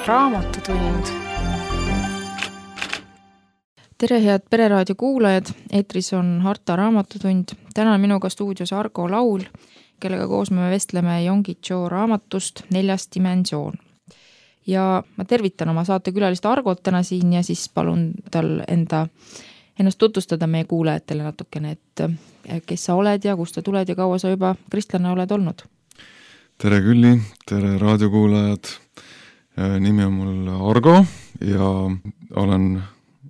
Raamatutund. Tere, head Pereraadio kuulajad, eetris on Harta Raamatutund. Täna on minuga stuudios Argo Laul, kellega koos me vestleme Yonggi Cho raamatust 4. dimensioon. Ja ma tervitan oma saatekülalist Argot täna siin ja siis palun tal ennast tutvustada meie kuulajatele natukene, et kes sa oled ja kust sa tuled ja kaua sa juba kristlane oled olnud. Tere Külli, tere raadiokuulajad. Nimi on mul Argo ja olen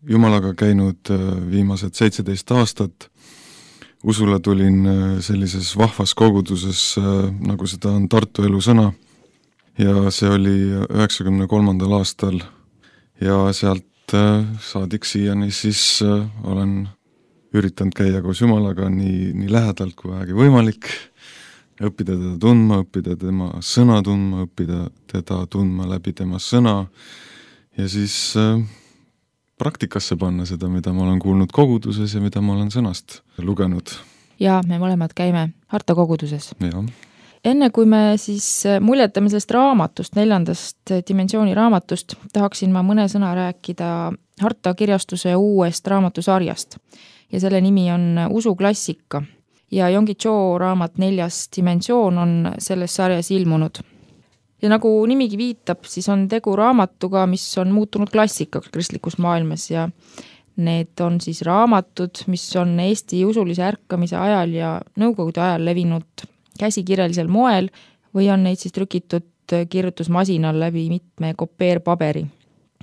Jumalaga käinud viimased 17 aastat. Usule tulin sellises vahvas koguduses, nagu seda on Tartu elusõna. Ja see oli 93. aastal ja sealt saadik siiani siis olen üritanud käia koos Jumalaga nii lähedalt kui vähegi võimalik. Õppida teda tundma, õppida tema sõna tundma, õppida teda tundma läbi tema sõna ja siis praktikasse panna seda, mida ma olen kuulnud koguduses ja mida ma olen sõnast lugenud. Ja me mõlemad käime Harta koguduses. Ja. Enne kui me siis muljetame sellest raamatust, 4. dimensiooni raamatust, tahaksin ma mõne sõna rääkida Harta kirjastuse uuest raamatusarjast ja selle nimi on Usuklassika. Ja Yonggi Cho raamat 4. dimensioon on selles sarjas ilmunud. Ja nagu nimigi viitab, siis on tegu raamatuga, mis on muutunud klassikaks kristlikus maailmas ja need on siis raamatud, mis on Eesti usulise ärkamise ajal ja nõukogude ajal levinud käsikirjalisel moel või on neid siis trükitud kirjutusmasinal läbi mitme kopeerpaberi.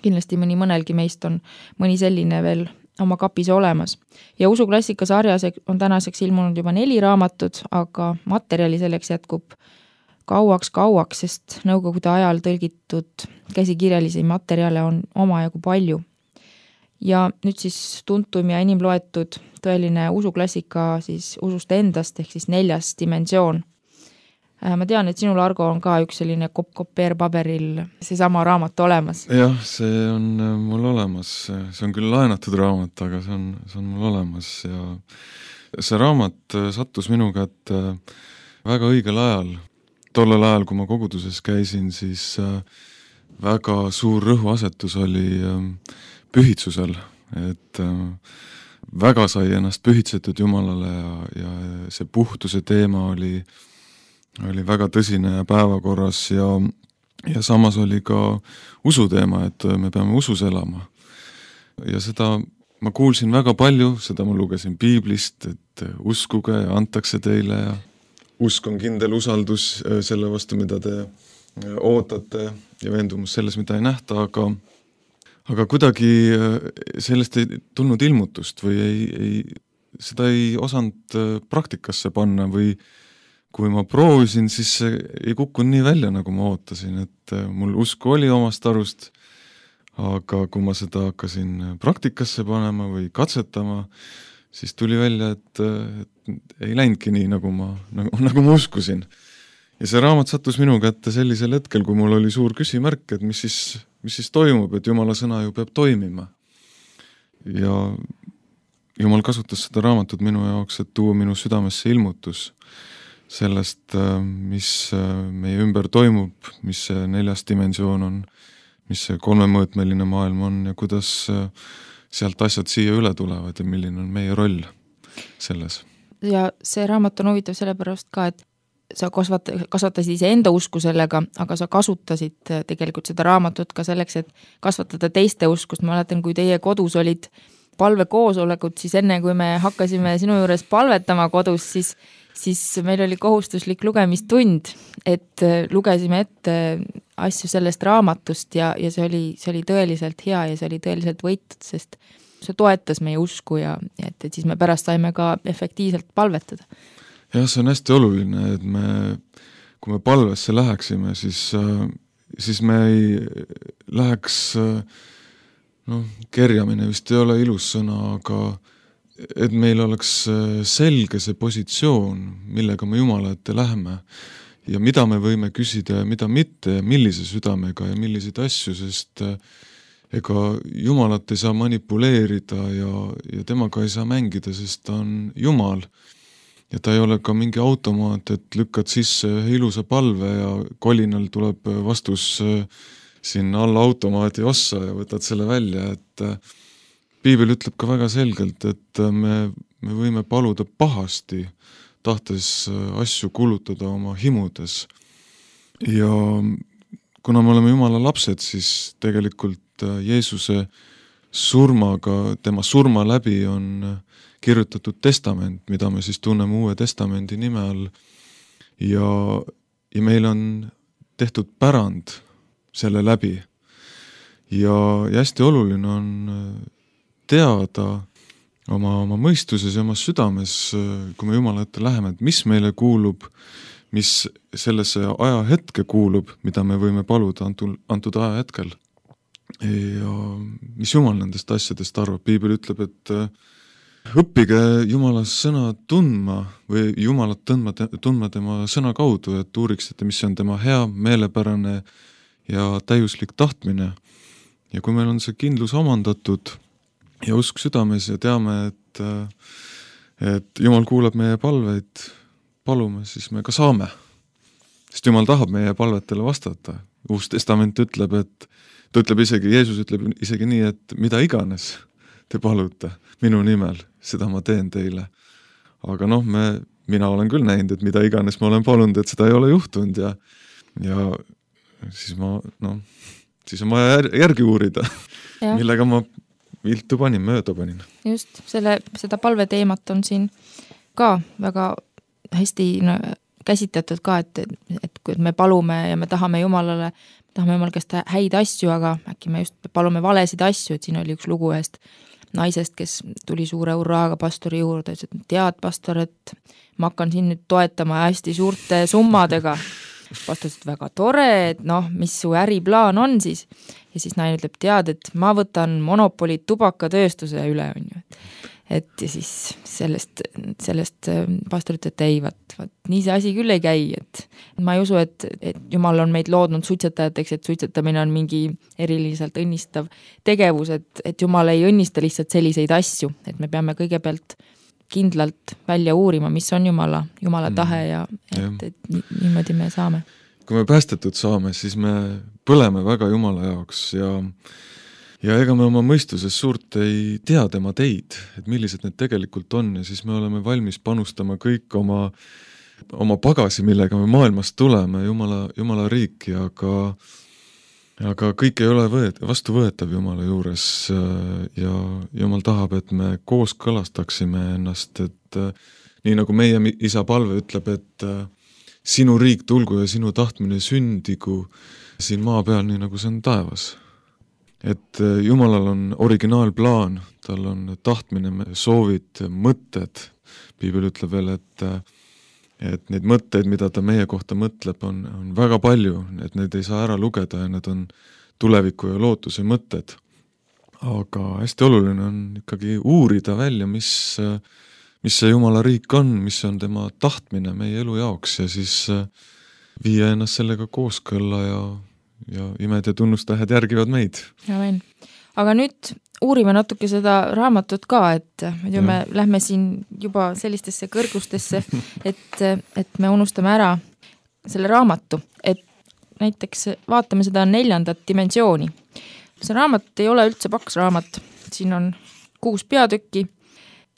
Kindlasti mõnelgi meist on mõni selline veel oma kapis olemas. Ja Usuklassika sarjas on tänaseks ilmunud juba 4 raamatut, aga materjali selleks jätkub kauaks, sest nõukogude ajal tõlgitud käsikirjalisi materjale on omajagu palju. Ja nüüd siis tuntum ja inimloetud tõeline usuklassika siis usust endast ehk siis 4. dimensioon. Ma tean, et sinul, Argo, on ka üks selline kopeerpaberil seesama raamat olemas. Jah, see on mul olemas. See on küll laenatud raamat, aga see on mul olemas. Ja see raamat sattus minu kätte väga õigel ajal. Tollel ajal, kui ma koguduses käisin, siis väga suur rõhuasetus oli pühitsusel. Et väga sai ennast pühitsetud Jumalale ja see puhtuse teema oli väga tõsine ja päevakorras ja samas oli ka usuteema, et me peame usus elama. Ja seda ma kuulsin väga palju, seda ma lugesin Piiblist, et uskuge ja antakse teile ja usk on kindel usaldus selle vastu, mida te ootate ja veendumus selles, mida ei nähta, aga kuidagi sellest ei tulnud ilmutust või seda ei osanud praktikasse panna või kui ma proovisin, siis see ei kukkunud nii välja, nagu ma ootasin, et mul usku oli omast arust, aga kui ma seda hakkasin praktikasse panema või katsetama, siis tuli välja, et ei läinudki nii, nagu ma uskusin. Ja see raamat sattus minu kätte sellisel hetkel, kui mul oli suur küsimärk, et mis siis toimub, et Jumala sõna ju peab toimima. Ja Jumal kasutas seda raamatut minu jaoks, et tuua minu südamesse ilmutus sellest, mis meie ümber toimub, mis see 4. dimensioon on, mis see 3-mõõtmeline maailm on ja kuidas sealt asjad siia üle tulevad ja milline on meie roll selles. Ja see raamat on huvitav sellepärast ka, et sa kasvatasid ise enda usku sellega, aga sa kasutasid tegelikult seda raamatut ka selleks, et kasvatada teiste uskust. Ma mäletan, kui teie kodus olid palvekoosolekud, siis enne kui me hakkasime sinu juures palvetama kodus, siis meil oli kohustuslik lugemistund, et lugesime ette asju sellest raamatust ja see oli tõeliselt hea ja see oli tõeliselt võitud, sest see toetas meie usku ja et siis me pärast saime ka efektiivselt palvetada. Jah, see on hästi oluline, et kui me palvesse läheksime, siis me ei läheks, kerjamine vist ei ole ilus sõna, aga et meil oleks selge see positsioon, millega me Jumala ette läheme ja mida me võime küsida ja mida mitte ja millise südamega ja milliseid asju, sest ega Jumalat ei saa manipuleerida ja temaga ei saa mängida, sest ta on Jumal. Ja ta ei ole ka mingi automaat, et lükkad sisse ühe ilusa palve ja kolinal tuleb vastus siin alla automaadi ossa ja võtad selle välja, et piibel ütleb ka väga selgelt, et me võime paluda pahasti, tahtes asju kulutada oma himudes. Ja kuna me oleme Jumala lapsed, siis tegelikult Jeesuse surmaga, tema surma läbi on kirjutatud testament, mida me siis tunneme Uue Testamendi nime all. Ja meil on tehtud pärand selle läbi. Ja hästi oluline on teada oma mõistuses ja oma südames, kui me Jumala ette läheme, et mis meile kuulub, mis sellesse ajahetke kuulub, mida me võime paluda antud ajahetkel. Ja mis Jumal nendest asjadest arvab? Piibel ütleb, et õppige Jumala sõna tundma või Jumalat tundma tema sõna kaudu, et uuriksite, mis on tema hea, meelepärane ja täiuslik tahtmine. Ja kui meil on see kindlus omandatud ja usk südames ja teame, et Jumal kuulab meie palveid, palume, siis me ka saame. Sest Jumal tahab meie palvetele vastata. Uus testament ütleb, et ta ütleb isegi, Jeesus ütleb isegi nii, et mida iganes te palute minu nimel, seda ma teen teile. Aga mina olen küll näinud, et mida iganes ma olen palunud, et seda ei ole juhtunud ja siis siis on vaja järgi uurida, millega ma viltu mööda panin. Just, seda palveteemat on siin ka väga hästi käsitletud ka, et kui me palume ja me tahame Jumal käest häid asju, aga äkki me just palume valesid asju, et siin oli üks lugu ühest naisest, kes tuli suure hurraaga pastori juurde, et tead, pastor, et ma hakkan siin nüüd toetama hästi suurte summadega. Pastor ütles, väga tore, et mis su äriplaan on siis? Ja siis naine ütleb, tead, et ma võtan monopoli tubakatööstuse üle, on ju. Et ja siis sellest pastor ütleb, et ei, nii see asi küll ei käi, et ma ei usu, et Jumal on meid loodnud suitsetajateks, et suitsetamine on mingi eriliselt õnnistav tegevus, et Jumal ei õnnista lihtsalt selliseid asju, et me peame kõigepealt kindlalt välja uurima, mis on Jumala tahe ja et niimoodi me saame. Kui me päästetud saame, siis me põleme väga Jumala jaoks ja ega me oma mõistuses suurt ei tea tema teid, et millised need tegelikult on ja siis me oleme valmis panustama kõik oma pagasi, millega me maailmast tuleme, Jumala riiki, aga kõik ei ole vastuvõetav Jumala juures ja Jumal tahab, et me koos kõlastaksime ennast, et nii nagu meie isa palve ütleb, et sinu riik tulgu ja sinu tahtmine sündigu siin maa peal, nii nagu see on taevas. Et Jumalal on originaalplaan, tal on tahtmine, soovid, mõtted. Piibel ütleb veel, et neid mõtteid, mida ta meie kohta mõtleb, on väga palju, et need ei saa ära lugeda ja need on tuleviku ja lootuse mõtted. Aga hästi oluline on ikkagi uurida välja, mis see Jumala riik on, mis on tema tahtmine meie elu jaoks ja siis viia ennast sellega kooskõlla ja imed ja tunnustähed järgivad meid. Amen. Aga nüüd uurime natuke seda raamatut ka, et me lähme siin juba sellistesse kõrgustesse, et me unustame ära selle raamatu, et näiteks vaatame seda 4. dimensiooni. See raamat ei ole üldse paks raamat, siin on 6 peatükki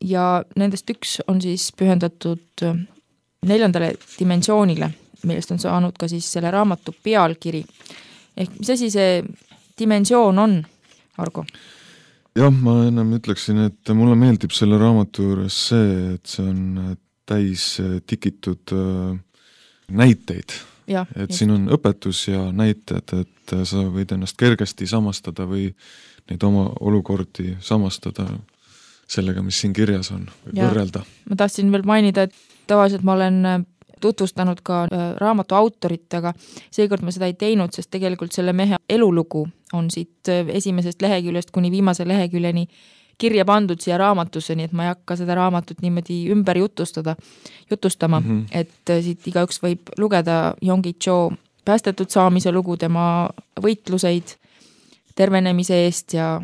ja nendest üks on siis pühendatud 4. dimensioonile, millest on saanud ka siis selle raamatu pealkiri. Ehk mis asi see dimensioon on, Argo? Jah, ma ennem ütleksin, et mulle meeldib selle raamatu juures see, et see on täis tikitud näiteid. Et siin on õpetus ja näited, et sa võid ennast kergesti samastada või neid oma olukordi samastada sellega, mis siin kirjas on, või võrrelda. Ma tahtsin veel mainida, et tavaliselt ma olen tutvustanud ka raamatu autorit, aga seekord ma seda ei teinud, sest tegelikult selle mehe elulugu on siit esimesest leheküljest kuni viimase leheküljeni kirja pandud siia raamatusse, nii et ma ei hakka seda raamatut niimoodi ümber jutustama, et siit igaüks võib lugeda Yonggi Cho päästetud saamise lugu, tema võitluseid tervenemise eest ja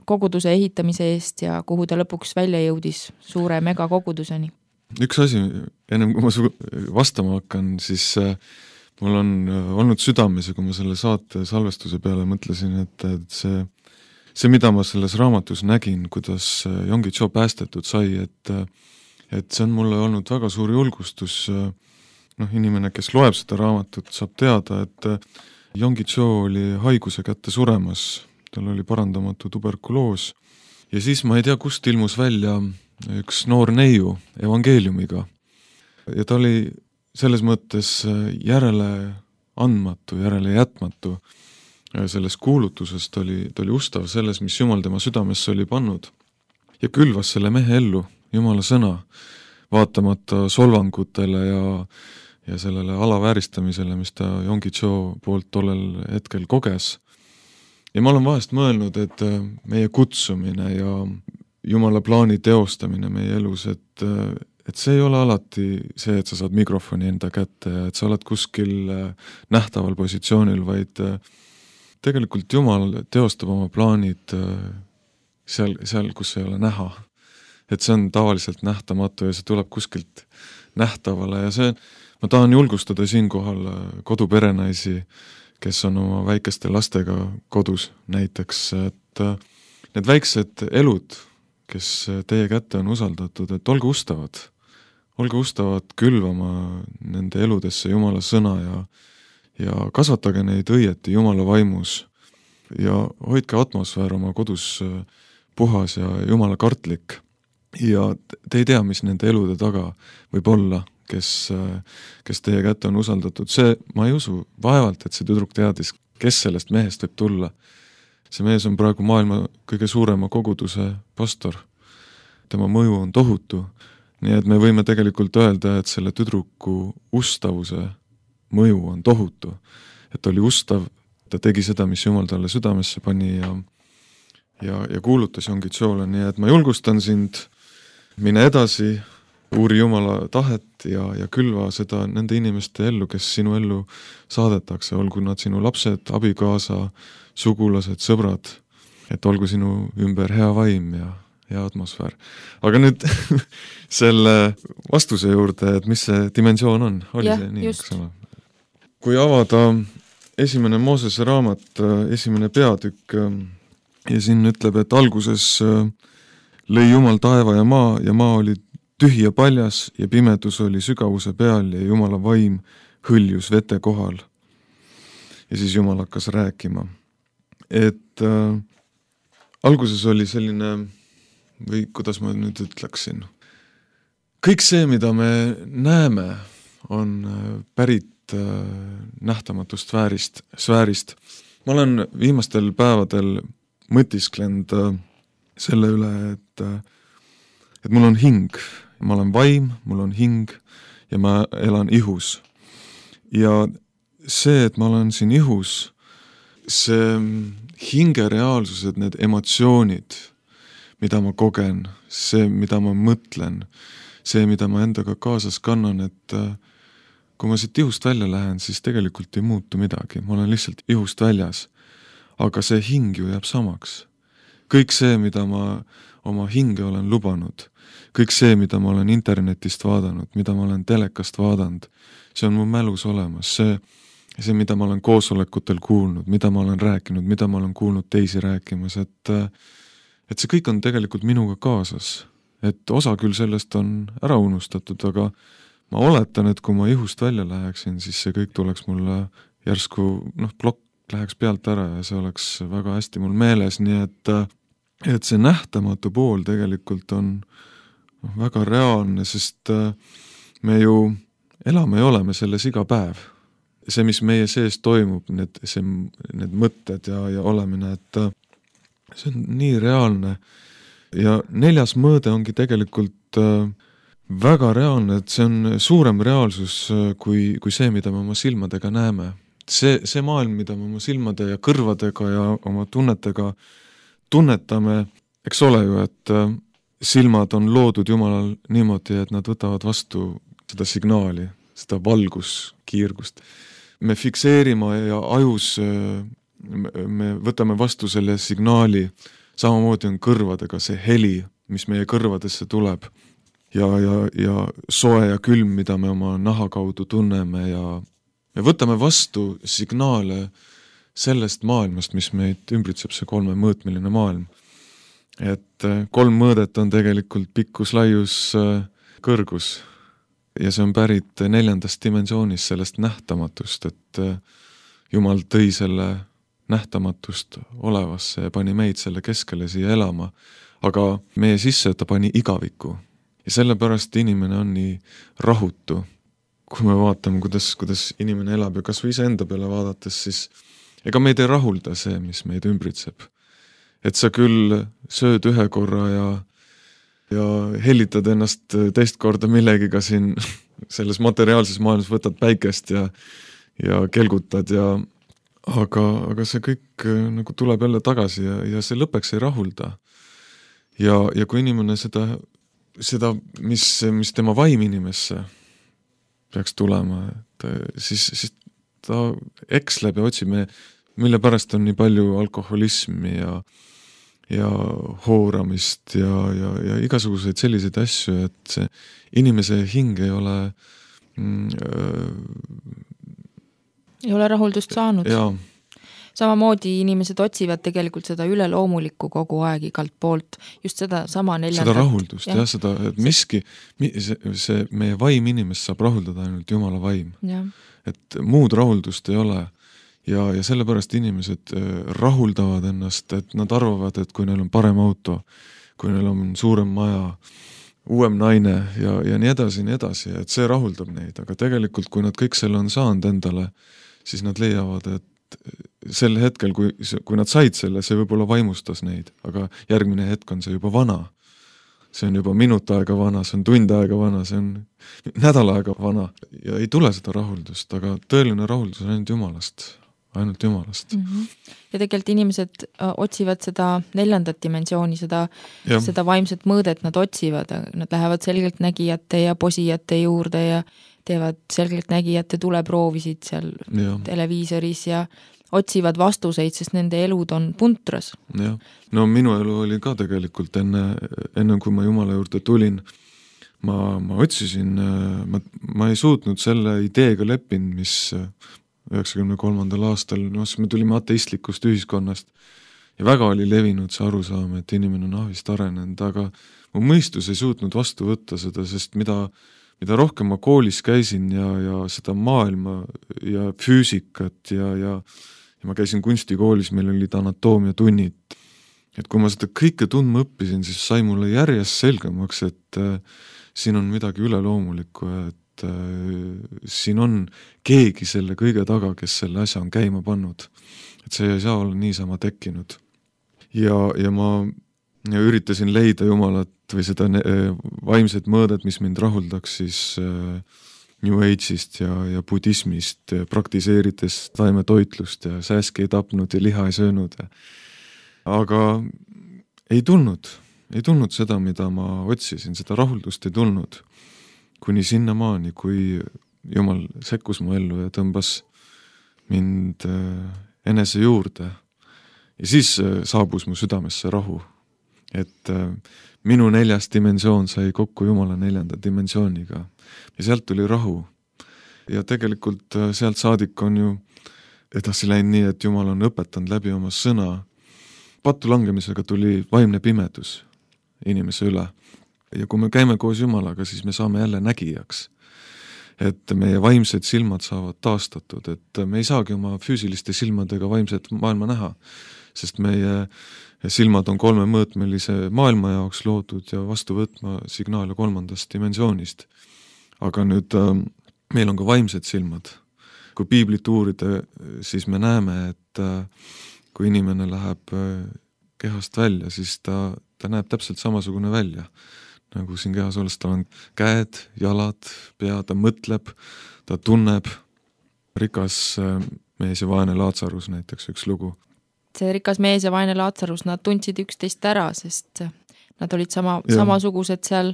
koguduse ehitamise eest ja kuhu ta lõpuks välja jõudis suure megakoguduseni. Üks asi, ennem kui ma vastama hakkan, siis mul on olnud südames ja kui ma selle saate salvestuse peale mõtlesin, et see, mida ma selles raamatus nägin, kuidas Yonggi Cho päästetud sai, et see on mulle olnud väga suur julgustus. Inimene, kes loeb seda raamatut, saab teada, et Yonggi Cho oli haiguse kätte suremas, tal oli parandamatu tuberkuloos ja siis ma ei tea, kust ilmus välja üks noor neiu evangeeliumiga ja ta oli selles mõttes järele andmatu, järele jätmatu. Selles kuulutuses ta oli ustav selles, mis Jumal tema südamesse oli pannud ja külvas selle mehe ellu, Jumala sõna, vaatamata solvangutele ja sellele alavääristamisele, mis ta Yonggi Cho poolt tollel hetkel koges. Ja ma olen vahest mõelnud, et meie kutsumine ja Jumala plaani teostamine meie elus, et see ei ole alati see, et sa saad mikrofoni enda kätte ja et sa oled kuskil nähtaval positsioonil, vaid tegelikult Jumal teostab oma plaanid seal, kus ei ole näha. Et see on tavaliselt nähtamatu ja see tuleb kuskilt nähtavale ja see, ma tahan julgustada siinkohal koduperenaisi, kes on oma väikeste lastega kodus näiteks, et need väiksed elud, kes teie kätte on usaldatud, et olge ustavad külvama nende eludesse Jumala sõna ja kasvatage neid õieti Jumala vaimus ja hoidke atmosfäär oma kodus puhas ja Jumala kartlik ja te ei tea, mis nende elude taga võib olla, kes teie kätte on usaldatud. See, ma ei usu vaevalt, et see tüdruk teadis, kes sellest mehest võib tulla. See mees on praegu maailma kõige suurema koguduse pastor. Tema mõju on tohutu. Nii et me võime tegelikult öelda, et selle tüdruku ustavuse mõju on tohutu. Et ta oli ustav, ta tegi seda, mis Jumal talle südamesse pani ja kuulutas Yonggi Chole. Nii et ma julgustan sind, mine edasi, uuri Jumala tahet ja külva seda nende inimeste ellu, kes sinu ellu saadetakse, olgu nad sinu lapsed, abikaasa, sugulased, sõbrad, et olgu sinu ümber hea vaim ja hea atmosfäär. Aga nüüd selle vastuse juurde, et mis see dimensioon on, oli see nii, eks ole? Kui avada esimene Moosese raamat, esimene peatükk ja siin ütleb, et alguses lõi Jumal taeva ja maa oli tühi ja paljas ja pimedus oli sügavuse peal ja Jumala vaim hõljus vete kohal. Ja siis Jumal hakkas rääkima. Et alguses oli selline, või kuidas ma nüüd ütleksin, kõik see, mida me näeme, on pärit nähtamatust sfäärist. Ma olen viimastel päevadel mõtisklenud selle üle, et mul on hing. Ma olen vaim, mul on hing ja ma elan ihus. Ja see, et ma olen siin ihus, see hinge reaalsused, need emotsioonid, mida ma kogen, see, mida ma mõtlen, see, mida ma endaga kaasas kannan, et kui ma siit ihust välja lähen, siis tegelikult ei muutu midagi. Ma olen lihtsalt ihust väljas. Aga see hing ju jääb samaks. Kõik see, mida ma oma hinge olen lubanud, kõik see, mida ma olen internetist vaadanud, mida ma olen telekast vaadanud, see on mu mälus olemas. See, mida ma olen koosolekutel kuulnud, mida ma olen rääkinud, mida ma olen kuulnud teisi rääkimas, et see kõik on tegelikult minuga kaasas. Et osa küll sellest on ära unustatud, aga ma oletan, et kui ma ihust välja läheksin, siis see kõik tuleks mulle järsku, plokk läheks pealt ära ja see oleks väga hästi mul meeles, nii et see nähtamatu pool tegelikult on väga reaalne, sest me ju elame ja oleme selles iga päev. See, mis meie sees toimub, need mõtted ja olemine, et see on nii reaalne. Ja 4. mõõde ongi tegelikult väga reaalne, et see on suurem reaalsus kui see, mida me oma silmadega näeme. See maailm, mida me oma silmade ja kõrvadega ja oma tunnetega tunnetame, eks ole ju, et silmad on loodud Jumalal niimoodi, et nad võtavad vastu seda signaali, seda valguskiirgust. Me fikseerime ja ajus me võtame vastu selle signaali, samamoodi on kõrvadega see heli, mis meie kõrvadesse tuleb ja soe ja külm, mida me oma naha kaudu tunneme ja me võtame vastu signaale sellest maailmast, mis meid ümbritseb, see 3-mõõtmeline maailm. Et 3 mõõdet on tegelikult pikkus, laius, kõrgus ja see on pärit 4. dimensioonist, sellest nähtamatust, et Jumal tõi selle nähtamatust olevasse ja pani meid selle keskele siia elama, aga meie sisse ta pani igaviku. Ja sellepärast inimene on nii rahutu. Kui me vaatame, kuidas inimene elab ja kas või ise enda peale vaadates, siis ega meid ei rahulda see, mis meid ümbritseb. Et sa küll sööd ühe korra ja hellitad ennast teist korda millegiga siin selles materiaalses maailmas, võtad päikest ja kelgutad aga see kõik nagu tuleb jälle tagasi ja see lõppeks ei rahulda. Ja kui inimene seda, mis tema vaim inimesse peaks tulema, siis ta eksleb ja otsib, mille pärast on nii palju alkoholismi ja hooramist ja igasuguseid selliseid asju, et see inimese hing ei ole rahuldust saanud. Jaa. Samamoodi inimesed otsivad tegelikult seda üleloomulikku kogu aeg igalt poolt, just seda sama 4. Seda rahuldust, seda, et miski, see meie vaim inimest saab rahuldada ainult Jumala vaim. Ja. Et muud rahuldust ei ole ja sellepärast inimesed rahuldavad ennast, et nad arvavad, et kui neil on parem auto, kui neil on suurem maja, uuem naine ja nii edasi, et see rahuldab neid, aga tegelikult kui nad kõik selle on saanud endale, siis nad leiavad, et sel hetkel, kui nad said selle, see võib-olla vaimustas neid, aga järgmine hetk on see juba vana. See on juba minut aega vana, see on tund aega vana, see on nädal aega vana ja ei tule seda rahuldust, aga tõeline rahuldus on ainult Jumalast. Ja tegelikult inimesed otsivad seda 4. dimensiooni, seda vaimset mõõdet nad otsivad, nad lähevad selgelt nägijate ja posijate juurde ja teevad selgelt nägijate tuleproovisid seal televiisoris ja otsivad vastuseid, sest nende elud on puntras. Ja. No minu elu oli ka tegelikult enne kui ma Jumala juurde tulin, ma otsisin, ma ei suutnud selle ideega leppinud, mis 93. aastal, me tulime ateistlikust ühiskonnast ja väga oli levinud see arusaam, et inimene on ahvist arenenud, aga mu mõistus ei suutnud vastu võtta seda, sest mida rohkem ma koolis käisin ja seda maailma ja füüsikat ja ma käisin kunstikoolis, meil olid anatoomiatunnid. Et kui ma seda kõike tundma õppisin, siis sai mulle järjest selgemaks, et siin on midagi üleloomulikku, et siin on keegi selle kõige taga, kes selle asja on käima pannud. Et see ei saa olla niisama tekkinud. Ja ma üritasin leida Jumalat või seda vaimset mõõdet, mis mind rahuldaks siis New Age'ist ja budismist, praktiseerides taimetoitlust ja sääski ei tapnud ja liha ei söönud. Aga ei tulnud seda, mida ma otsisin, seda rahuldust ei tulnud. Kuni sinnamaani, kui Jumal sekkus mu ellu ja tõmbas mind enese juurde. Ja siis saabus mu südamesse rahu. Et minu 4. dimensioon sai kokku Jumala 4. dimensiooniga ja sealt tuli rahu. Ja tegelikult sealt saadik on ju edasi läinud nii, et Jumal on õpetanud läbi oma sõna. Pattu langemisega tuli vaimne pimedus inimese üle. Ja kui me käime koos Jumalaga, siis me saame jälle nägijaks. Et meie vaimsed silmad saavad taastatud, et me ei saagi oma füüsiliste silmadega vaimset maailma näha, sest meie silmad on 3-mõõtmelise maailma jaoks loodud ja vastu võtma signaale 3. dimensioonist. Aga nüüd meil on ka vaimsed silmad. Kui piiblit uurida, siis me näeme, et kui inimene läheb kehast välja, siis ta näeb täpselt samasugune välja. Nagu siin kehas olles, tal on käed, jalad, pea, ta mõtleb, ta tunneb. Rikas mees ja vaene Laatsarus näiteks üks lugu. See rikas mees ja vaene Laatsarus, nad tundsid üksteist ära, sest nad olid samasugused seal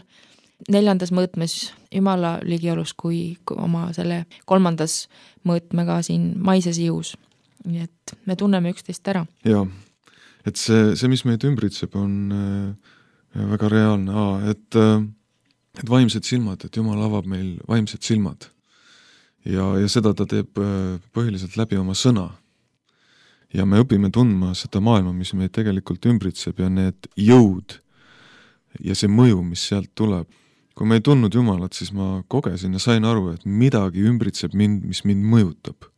4. mõõtmes Jumala ligiolus kui oma selle 3. mõõtmega siin maises ihus. Nii et me tunneme üksteist ära. Ja, et see mis meid ümbritseb, on väga reaalne, et vaimsed silmad, et Jumal avab meil vaimsed silmad. ja seda ta teeb põhiliselt läbi oma sõna. Ja me õpime tundma seda maailma, mis meid tegelikult ümbritseb ja need jõud ja see mõju, mis sealt tuleb. Kui ma ei tundnud Jumalat, siis ma kogesin ja sain aru, et midagi ümbritseb mind, mis mind mõjutab.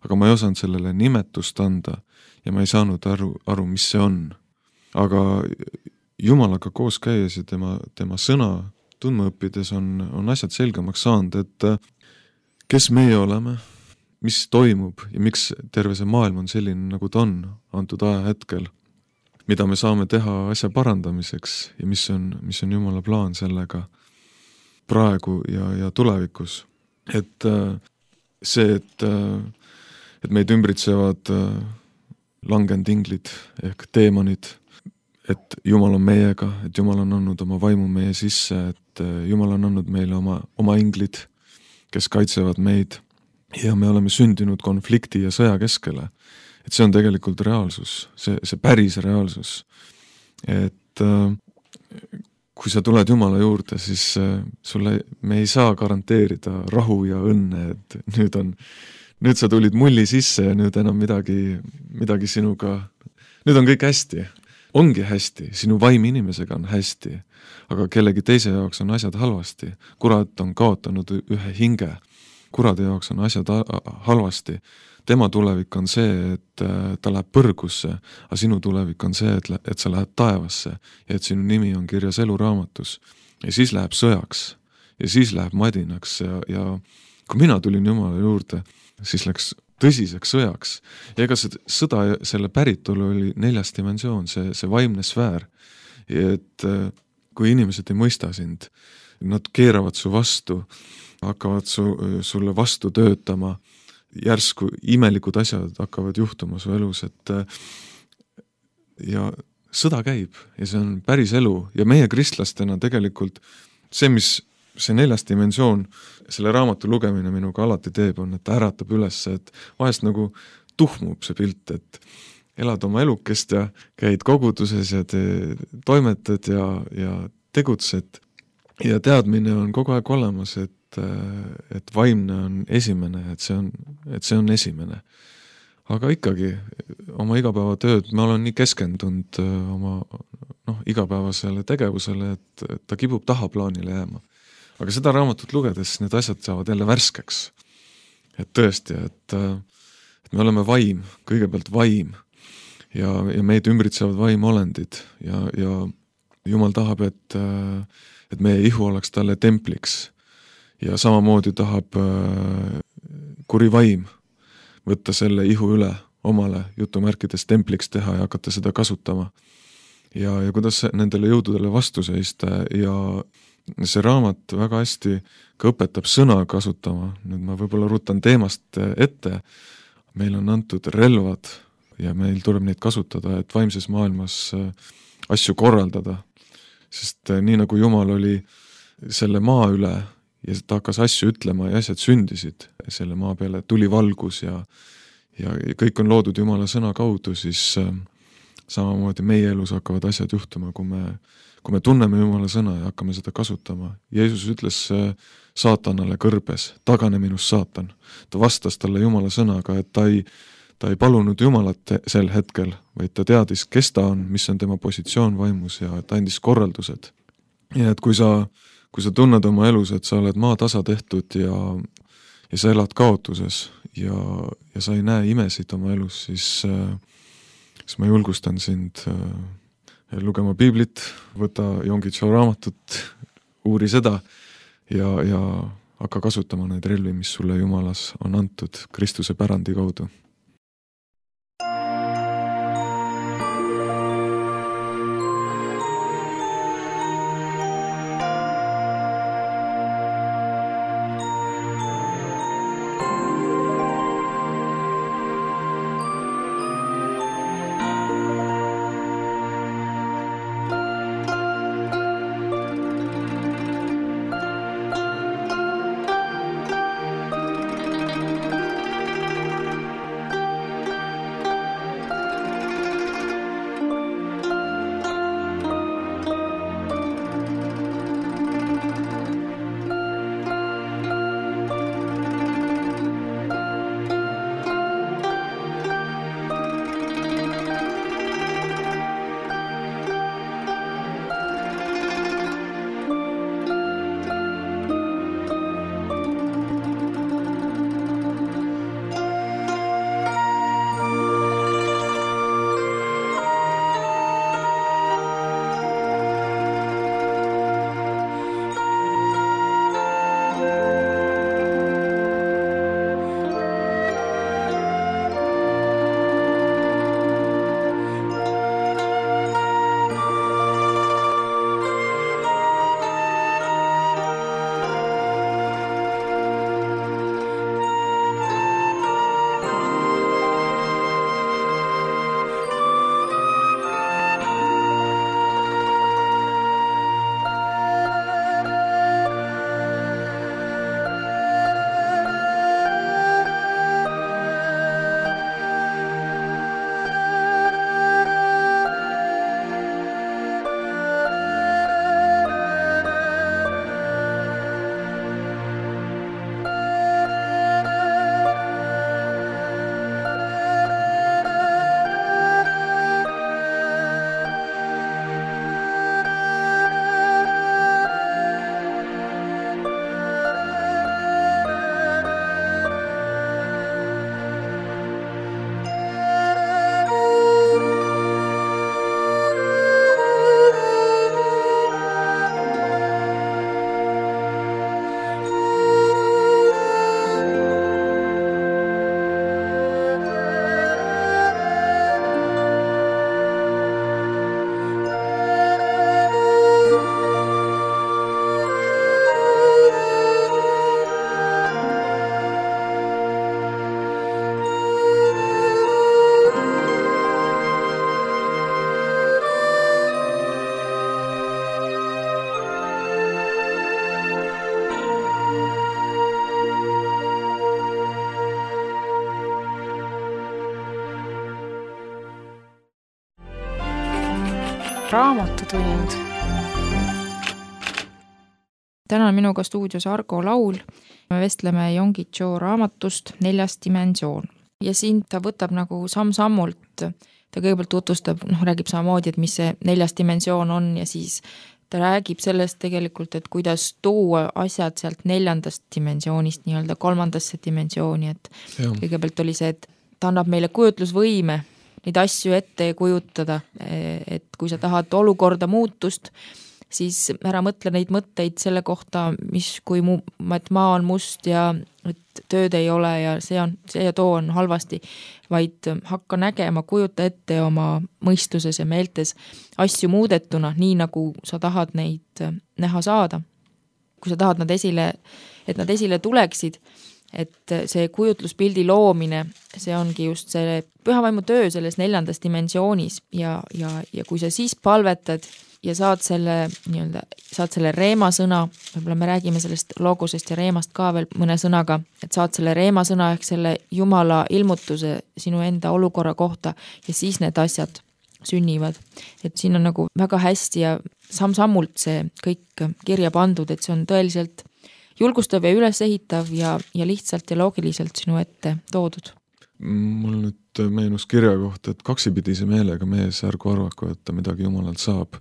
Aga ma ei osanud sellele nimetust anda ja ma ei saanud aru, mis see on. Aga Jumalaga koos käies ja tema sõna tundma õppides on asjad selgemaks saanud, et kes meie oleme, mis toimub ja miks terve see maailm on selline, nagu ta on antud ajahetkel, mida me saame teha asja parandamiseks ja mis on Jumala plaan sellega praegu ja tulevikus. Et see, et meid ümbritsevad langenud inglid ehk teemonid, et Jumal on meiega, et Jumal on andnud oma vaimu meie sisse, et Jumal on andnud meile oma inglid, kes kaitsevad meid ja me oleme sündinud konflikti ja sõja keskele. Et see on tegelikult reaalsus, see päris reaalsus. Et kui sa tuled Jumala juurde, siis me ei saa garanteerida rahu ja õnne, et nüüd sa tulid mulli sisse ja nüüd enam midagi sinuga, nüüd on kõik hästi. Ongi hästi, sinu vaim inimesega on hästi, aga kellegi teise jaoks on asjad halvasti. Kurat on kaotanud ühe hinge. Kurade jaoks on asjad halvasti. Tema tulevik on see, et ta läheb põrgusse, aga sinu tulevik on see, et sa lähed taevasse ja et sinu nimi on kirjas eluraamatus. Ja siis läheb sõjaks ja siis läheb madinaks ja kui mina tulin Jumala juurde, siis läks tõsiseks sõjaks. Ja ega see sõda, selle päritolu oli 4. dimensioon, see vaimne sfäär. Et kui inimesed ei mõista sind, nad keeravad su vastu, hakkavad sulle vastu töötama, järsku imelikud asjad hakkavad juhtuma su elus, et ja sõda käib ja see on päris elu ja meie kristlastena tegelikult see 4. dimensioon, selle raamatu lugemine minuga alati teeb, on, et ta äratab üles, et vahest nagu tuhmub see pilt, et elad oma elukest ja käid koguduses ja toimetad ja tegutsed ja teadmine on kogu aeg olemas, et vaimne on esimene, et see on esimene. Aga ikkagi oma igapäevatööd ma olen nii keskendunud oma igapäevasele tegevusele, et ta kipub tahaplaanile jääma. Aga seda raamatut lugedes need asjad saavad jälle värskeks. Et tõesti, et me oleme vaim, kõigepealt vaim ja meid ümbritsevad vaimolendid ja Jumal tahab, et meie ihu oleks talle templiks ja samamoodi tahab kuri vaim võtta selle ihu üle omale jutumärkides templiks teha ja hakata seda kasutama. Ja kuidas nendele jõududele vastu seista ja see raamat väga hästi ka õpetab sõna kasutama. Nüüd ma võib-olla rutan teemast ette. Meil on antud relvad ja meil tuleb neid kasutada, et vaimses maailmas asju korraldada. Sest nii nagu Jumal oli selle maa üle ja ta hakkas asju ütlema ja asjad sündisid selle maa peale, tuli valgus ja kõik on loodud Jumala sõna kaudu, siis samamoodi meie elus hakkavad asjad juhtuma, kui me tunneme Jumala sõna ja hakkame seda kasutama. Jeesus ütles saatanale kõrbes, tagane minust saatan. Ta vastas talle Jumala sõnaga, et ta ei palunud Jumalat sel hetkel, vaid ta teadis, kes ta on, mis on tema positsioon vaimus ja ta andis korraldused. Ja et kui sa tunned oma elus, et sa oled maatasa tehtud ja sa elad kaotuses ja sa ei näe imesid oma elus, siis ma julgustan sind lugema piiblit, võta Yonggi-Cho raamatut, uuri seda ja hakka kasutama neid relvi, mis sulle Jumalas on antud Kristuse pärandi kaudu. Raamatutund. Täna on minuga stuudios Argo Laul. Me vestleme Yonggi Cho raamatust 4. dimensioon. Ja siin ta võtab nagu samm-sammult, ta kõigepealt tutvustab, räägib samamoodi, et mis see 4. dimensioon on ja siis ta räägib sellest tegelikult, et kuidas tuua asjad sealt 4. dimensioonist nii-öelda 3. dimensiooni, et kõigepealt oli see, et ta annab meile kujutlusvõime neid asju ette kujutada, et kui sa tahad olukorda muutust, siis ära mõtle neid mõtteid selle kohta, et maa on must ja et tööd ei ole ja see ja too on halvasti, vaid hakka nägema, kujuta ette oma mõistuses ja meeltes asju muudetuna, nii nagu sa tahad neid näha saada. Kui sa tahad et nad esile tuleksid, et see kujutluspildi loomine, see ongi just see pühavaimu töö selles 4. dimensioonis ja kui sa siis palvetad ja saad selle reemasõna, võib-olla me räägime sellest logosest ja reemast ka veel mõne sõnaga, et saad selle reemasõna ehk selle Jumala ilmutuse sinu enda olukorra kohta ja siis need asjad sünnivad. Et siin on nagu väga hästi ja samm-sammult see kõik kirja pandud, et see on tõeliselt julgustav ja ülesehitav ja lihtsalt ja loogiliselt sinu ette toodud. Mul nüüd meenus kirja kohta, et kaksipidise meelega mees ärgu arvaku, et ta midagi Jumalalt saab.